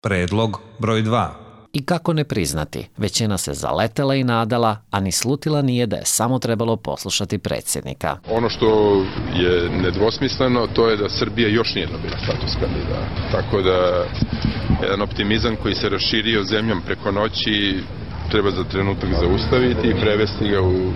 Predlog broj 2. I kako ne priznati, većina se zaletela i nadala, a ni slutila nije da je samo trebalo poslušati predsjednika. Ono što je nedvosmisleno, to je da Srbija još nije dobila status kandidata. Tako da jedan optimizam koji se raširio zemljom preko noći treba za trenutak zaustaviti i prevesti ga u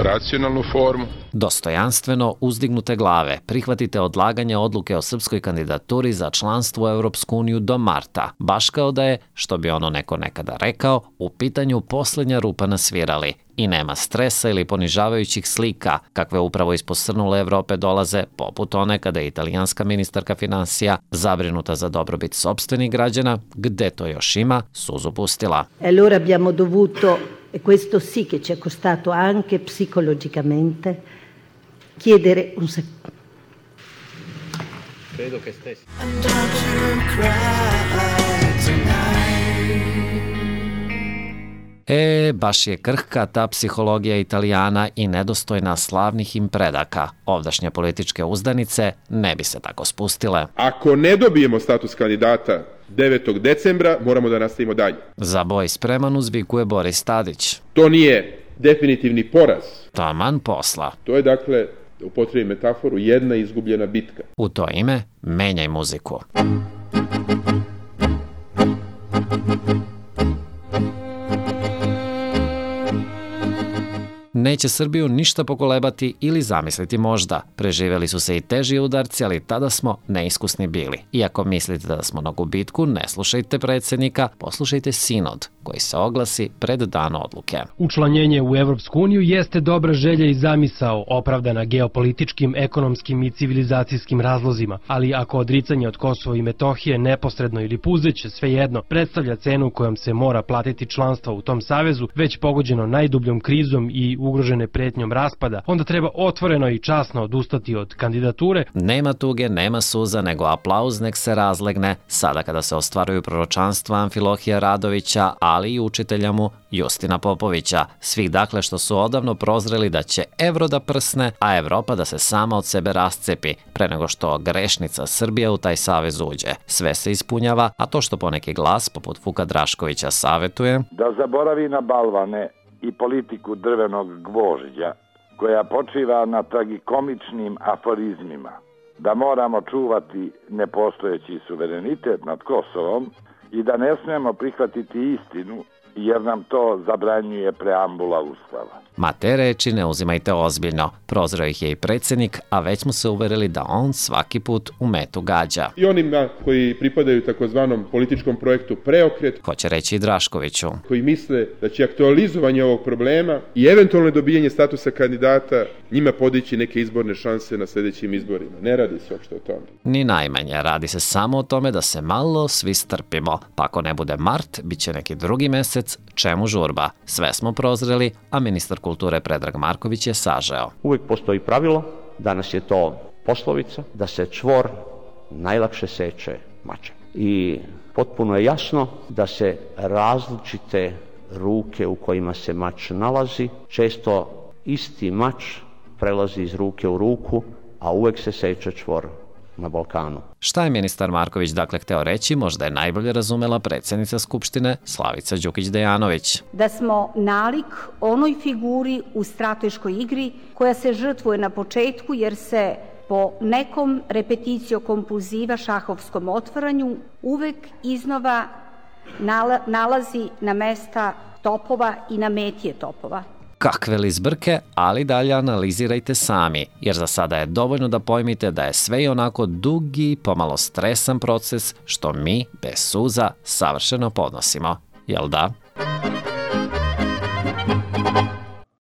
racionalnu formu. Dostojanstveno uzdignute glave prihvatite odlaganje odluke o srpskoj kandidaturi za članstvo u Europsku uniju do marta, baš kao da je, što bi ono neko nekada rekao, u pitanju posljednja rupa na svirali. I nema stresa ili ponižavajućih slika, kakve upravo iz posrnule Evrope dolaze, poput one kada je italijanska ministarka financija, zabrinuta za dobrobit sopstvenih građana, gde to još ima, suzu pustila. Allora abbiamo dovuto, e questo sì che ci è costato anche psicologicamente, chiedere un secondo. Credo che stessi. Baš je krhka ta psihologija Italijana i nedostojna slavnih im predaka. Ovdašnje političke uzdanice ne bi se tako spustile. Ako ne dobijemo status kandidata 9. decembra, moramo da nastavimo dalje. Za boj spreman uzvikuje Boris Tadić. To nije definitivni poraz. Taman posla. To je, dakle, da upotrijebim metaforu, jedna izgubljena bitka. U to ime, menjaj muziku. Neće Srbiju ništa pokolebati ili zamisliti možda. Preživjeli su se i teži udarci, ali tada smo neiskusni bili. Iako mislite da smo na gubitku, ne slušajte predsjednika, poslušajte sinod, koji se oglasi pred dan odluke. Učlanjenje u Evropsku uniju jeste dobra želja i zamisao, opravdana geopolitičkim, ekonomskim i civilizacijskim razlozima, ali ako odricanje od Kosova i Metohije neposredno ili puzeće, svejedno, predstavlja cenu kojom se mora platiti članstvo u tom savezu, već pogođeno najdubljom krizom i ugrožene pretnjom raspada, onda treba otvoreno i časno odustati od kandidature. Nema tuge, nema suza, nego aplauz nek se razlegne, sada kada se ostvaruju proročanstva Amfilohija Radovića, ali i učitelja mu Justina Popovića. Svih dakle što su odavno prozreli da će evro da prsne, a Evropa da se sama od sebe rascepi, pre nego što grešnica Srbija u taj savez uđe. Sve se ispunjava, a to što poneki glas, poput Vuka Draškovića, savetuje da zaboravi na balvane i politiku drvenog gvožđa, koja počiva na tragikomičnim aforizmima, da moramo čuvati nepostojeći suverenitet nad Kosovom i da ne smijemo prihvatiti istinu, jer nam to zabranjuje preambula Ustava. Ma te reči ne uzimajte ozbiljno. Prozreo ih je i predsjednik, a već smo se uverili da on svaki put u metu gađa. I onima koji pripadaju takozvanom političkom projektu Preokret, hoće reći i Draškoviću, koji misle da će aktualizovanje ovog problema i eventualno dobijanje statusa kandidata njima podići neke izborne šanse na sljedećim izborima. Ne radi se uopšte o tome. Ni najmanje, radi se samo o tome da se malo svi strpimo. Pa ako ne bude mart, bit će neki drugi mesec, čemu žurba? Sve smo prozreli, a ministar kulture Predrag Marković je sažeo. Uvijek postoji pravilo, danas je to poslovica, da se čvor najlakše seče mačem. I potpuno je jasno da se različite ruke u kojima se mač nalazi, često isti mač prelazi iz ruke u ruku, a uvijek se seče čvor na Balkanu. Šta je ministar Marković dakle hteo reći, možda je najbolje razumela predsjednica Skupštine Slavica Đukić-Dejanović. Da smo nalik onoj figuri u strateškoj igri koja se žrtvuje na početku jer se po nekom repetitio kompulziva šahovskom otvaranju uvek iznova nalazi na mesta topova i na metije topova. Kakve li zbrke, ali dalje analizirajte sami, jer za sada je dovoljno da pojmite da je sve i onako dugi, pomalo stresan proces, što mi, bez suza, savršeno podnosimo. Jel da?